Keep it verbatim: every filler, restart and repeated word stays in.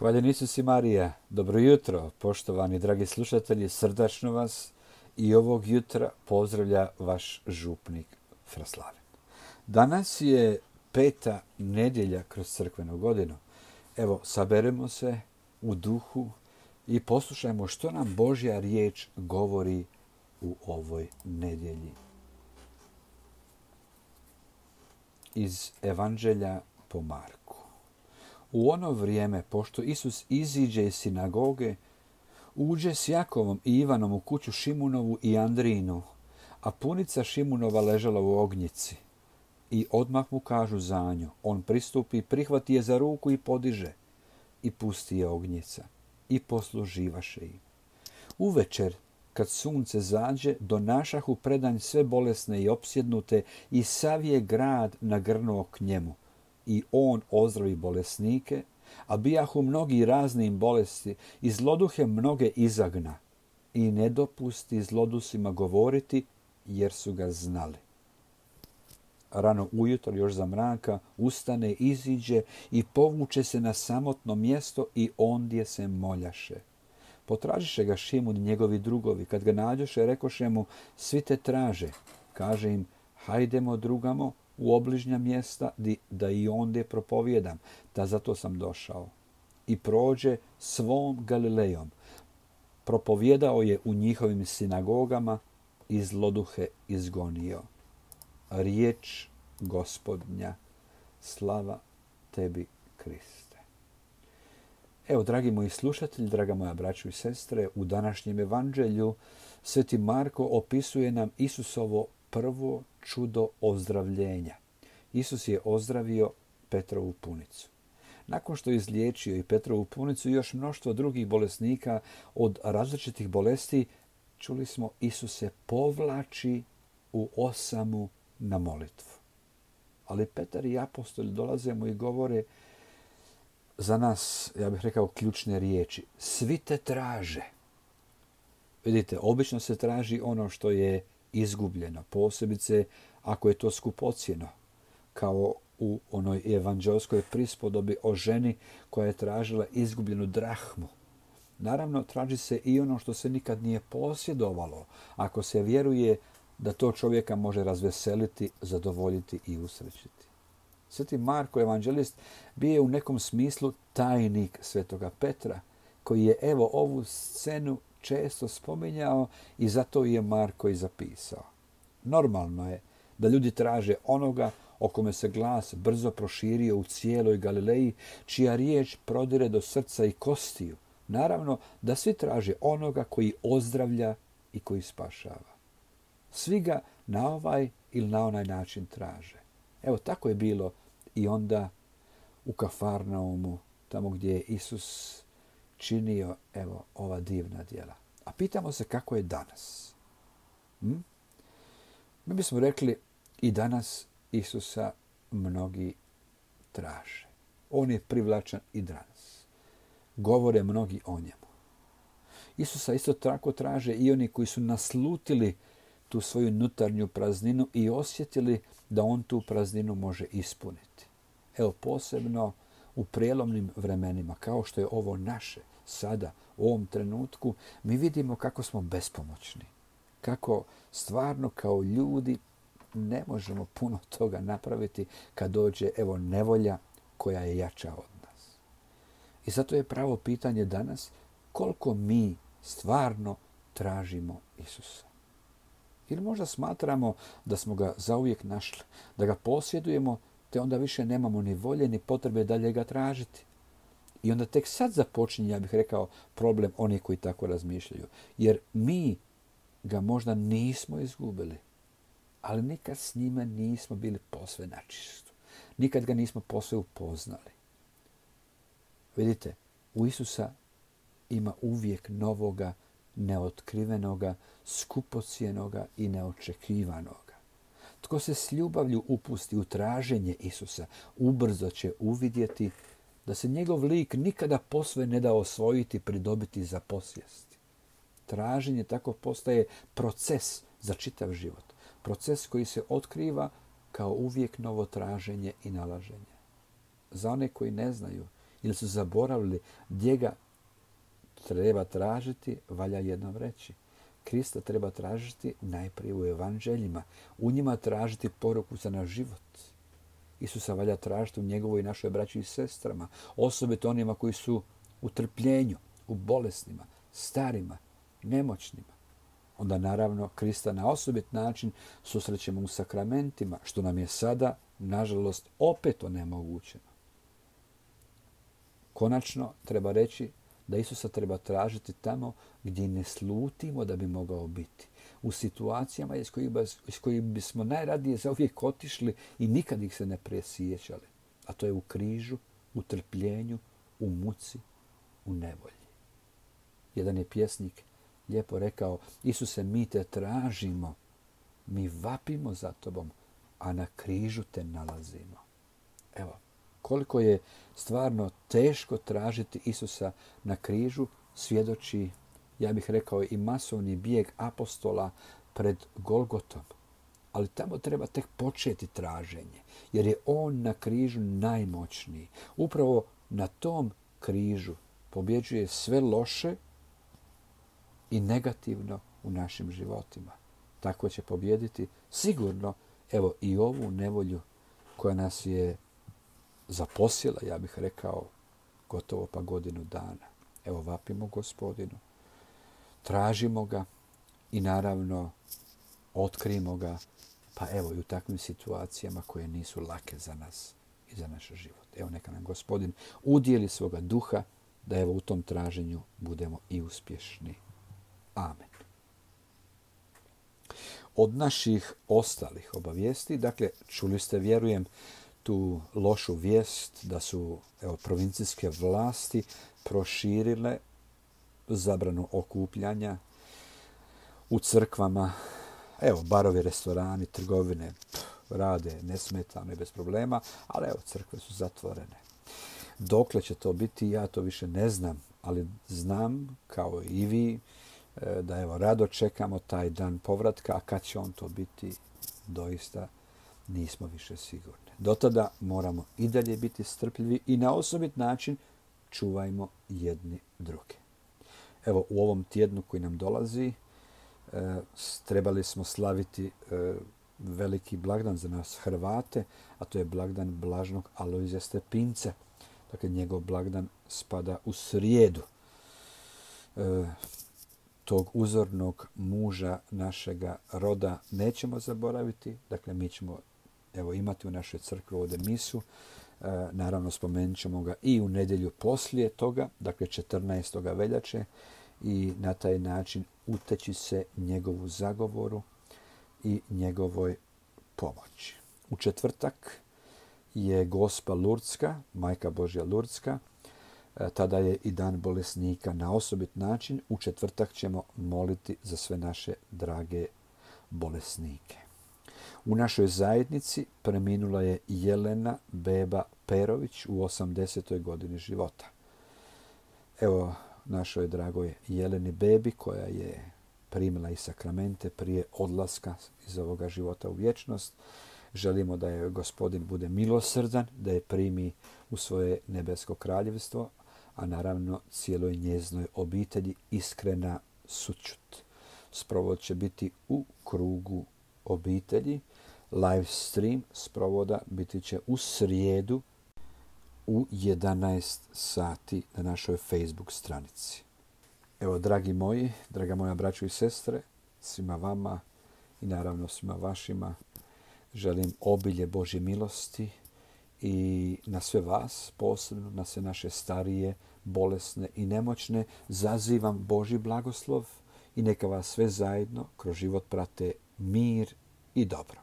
Hvaljen Isus i Marija, dobro jutro, poštovani dragi slušatelji, srdačno vas i ovog jutra pozdravlja vaš župnik Fraslaven. Danas je peta nedjelja kroz crkvenu godinu. Evo, saberemo se u duhu i poslušajmo što nam Božja riječ govori u ovoj nedjelji. Iz Evanđelja po Marku. U ono vrijeme, pošto Isus iziđe iz sinagoge, uđe s Jakovom i Ivanom u kuću Šimunovu i Andrijinu, a punica Šimunova ležala u ognjici. I odmah mu kažu za nju. On pristupi, prihvati je za ruku i podiže. I pusti je ognjica. I posluživaše im. Uvečer, kad sunce zađe, donašahu predanj sve bolesne i opsjednute i sav je grad nagrnuo k njemu. I on ozdravi bolesnike, a bijahu mnogi raznim bolesti i zloduhe mnoge izagna i ne dopusti zlodusima govoriti jer su ga znali. Rano ujutro, još za mraka, ustane, iziđe i povuče se na samotno mjesto i ondje se moljaše. Potražiše ga Šimun i njegovi drugovi. Kad ga nađoše, rekoše mu, svi te traže. Kaže im, hajdemo drugamo u obližnja mjesta da i ondje propovijedam, da zato sam došao. I prođe svom Galilejom. Propovijedao je u njihovim sinagogama i zloduhe izgonio. Riječ Gospodnja, slava tebi, Kriste. Evo, dragi moji slušatelji, draga moja braćo i sestre, u današnjem evanđelju Sveti Marko opisuje nam Isusovo prvo čudo ozdravljenja. Isus je ozdravio Petrovu punicu. Nakon što je izliječio i Petrovu punicu i još mnoštvo drugih bolesnika od različitih bolesti, čuli smo, Isus se povlači u osamu na molitvu. Ali Petar i apostoli dolaze mu i govore za nas, ja bih rekao, ključne riječi. Svi te traže. Vidite, obično se traži ono što je izgubljeno, posebice ako je to skupocjeno, kao u onoj evanđelskoj prispodobi o ženi koja je tražila izgubljenu drahmu. Naravno, traži se i ono što se nikad nije posjedovalo, ako se vjeruje da to čovjeka može razveseliti, zadovoljiti i usrećiti. Sveti Marko, evanđelist, bio je u nekom smislu tajnik svetoga Petra, koji je evo ovu scenu često spominjao i zato je Marko i zapisao. Normalno je da ljudi traže onoga o kome se glas brzo proširio u cijeloj Galileji, čija riječ prodire do srca i kostiju. Naravno da svi traže onoga koji ozdravlja i koji spašava. Svi ga na ovaj ili na onaj način traže. Evo, tako je bilo i onda u Kafarnaumu, tamo gdje je Isus činio, evo, ova divna djela. A pitamo se kako je danas. Hm? Mi bismo rekli, i danas Isusa mnogi traže. On je privlačan i danas. Govore mnogi o njemu. Isusa isto tako traže i oni koji su naslutili tu svoju unutarnju prazninu i osjetili da on tu prazninu može ispuniti. Evo, posebno u prijelomnim vremenima, kao što je ovo naše, sada, u ovom trenutku, mi vidimo kako smo bespomoćni. Kako stvarno kao ljudi ne možemo puno toga napraviti kad dođe, evo, nevolja koja je jača od nas. I zato je pravo pitanje danas koliko mi stvarno tražimo Isusa. Ili možda smatramo da smo ga zauvijek našli, da ga posjedujemo, te onda više nemamo ni volje ni potrebe dalje ga tražiti. I onda tek sad započinje, ja bih rekao, problem onih koji tako razmišljaju. Jer mi ga možda nismo izgubili, ali nikad s njime nismo bili posve načistu. Nikad ga nismo posve upoznali. Vidite, u Isusa ima uvijek novoga, neotkrivenoga, skupocjenoga i neočekivanoga. Tko se s ljubavlju upusti u traženje Isusa, ubrzo će uvidjeti da se njegov lik nikada posve ne da osvojiti, pridobiti za posjest. Traženje tako postaje proces za čitav život. Proces koji se otkriva kao uvijek novo traženje i nalaženje. Za one koji ne znaju ili su zaboravili gdje ga treba tražiti, valja jednom reći. Krista treba tražiti najprije u evanđeljima. U njima tražiti poruku za naš život. Isusa valja tražiti u njegovoj i našoj braći i sestrama. Osobito onima koji su u trpljenju, u bolesnima, starima, nemoćnima. Onda naravno Krista na osobit način susrećemo u sakramentima, što nam je sada, nažalost, opet onemogućeno. Konačno treba reći da Isusa treba tražiti tamo gdje ne slutimo da bi mogao biti. U situacijama iz kojih, iz kojih bismo najradije zauvijek otišli i nikad ih se ne presjećali. A to je u križu, u trpljenju, u muci, u nevolji. Jedan je pjesnik lijepo rekao: Isuse, mi te tražimo, mi vapimo za tobom, a na križu te nalazimo. Evo, koliko je stvarno teško tražiti Isusa na križu, svjedoči, ja bih rekao, i masovni bijeg apostola pred Golgotom. Ali tamo treba tek početi traženje, jer je on na križu najmoćniji. Upravo na tom križu pobjeđuje sve loše i negativno u našim životima. Tako će pobjediti sigurno, evo, i ovu nevolju koja nas je zaposjela, ja bih rekao, gotovo pa godinu dana. Evo, vapimo Gospodinu, tražimo ga i naravno otkrijmo ga, pa evo i u takvim situacijama koje nisu lake za nas i za naš život. Evo, neka nam Gospodin udijeli svoga duha da evo u tom traženju budemo i uspješni. Amen. Od naših ostalih obavijesti, dakle, čuli ste, vjerujem, tu lošu vijest da su, evo, provincijske vlasti proširile zabranu okupljanja u crkvama. Evo, barovi, restorani, trgovine pff, rade nesmetano i bez problema, ali evo, crkve su zatvorene. Dokle će to biti, ja to više ne znam, ali znam, kao i vi, da evo, rado čekamo taj dan povratka, a kad će on to biti, doista nismo više sigurni. Do tada moramo i dalje biti strpljivi i na osobit način čuvajmo jedni druge. Evo, u ovom tjednu koji nam dolazi, e, trebali smo slaviti e, veliki blagdan za nas Hrvate, a to je blagdan blaženog Alojzija Stepinca. Dakle, njegov blagdan spada u srijedu. E, tog uzornog muža našega roda nećemo zaboraviti. Dakle, mi ćemo, evo, imati u našoj crkvi ovdje misu. E, naravno, spomenut ćemo ga i u nedjelju poslije toga, dakle četrnaestog veljače, i na taj način uteći se njegovu zagovoru i njegovoj pomoći. U četvrtak je Gospa Lurdska, Majka Božja Lurdska. E, tada je i dan bolesnika na osobit način. U četvrtak ćemo moliti za sve naše drage bolesnike. U našoj zajednici preminula je Jelena Beba Perović u osamdesetoj godini života. Evo, našoj dragoj Jeleni Bebi, koja je primila i sakramente prije odlaska iz ovoga života u vječnost, želimo da je Gospodin bude milosrdan, da je primi u svoje nebesko kraljevstvo, a naravno cijeloj njeznoj obitelji iskrena sućut. Sprovod će biti u krugu obitelji. Live stream sprovoda biti će u srijedu u jedanaest sati na našoj Facebook stranici. Evo, dragi moji, draga moja braćo i sestre, svima vama i naravno svima vašima želim obilje Božje milosti i na sve vas, posebno na sve naše starije, bolesne i nemoćne, zazivam Božji blagoslov i neka vas sve zajedno kroz život prate mir i dobro.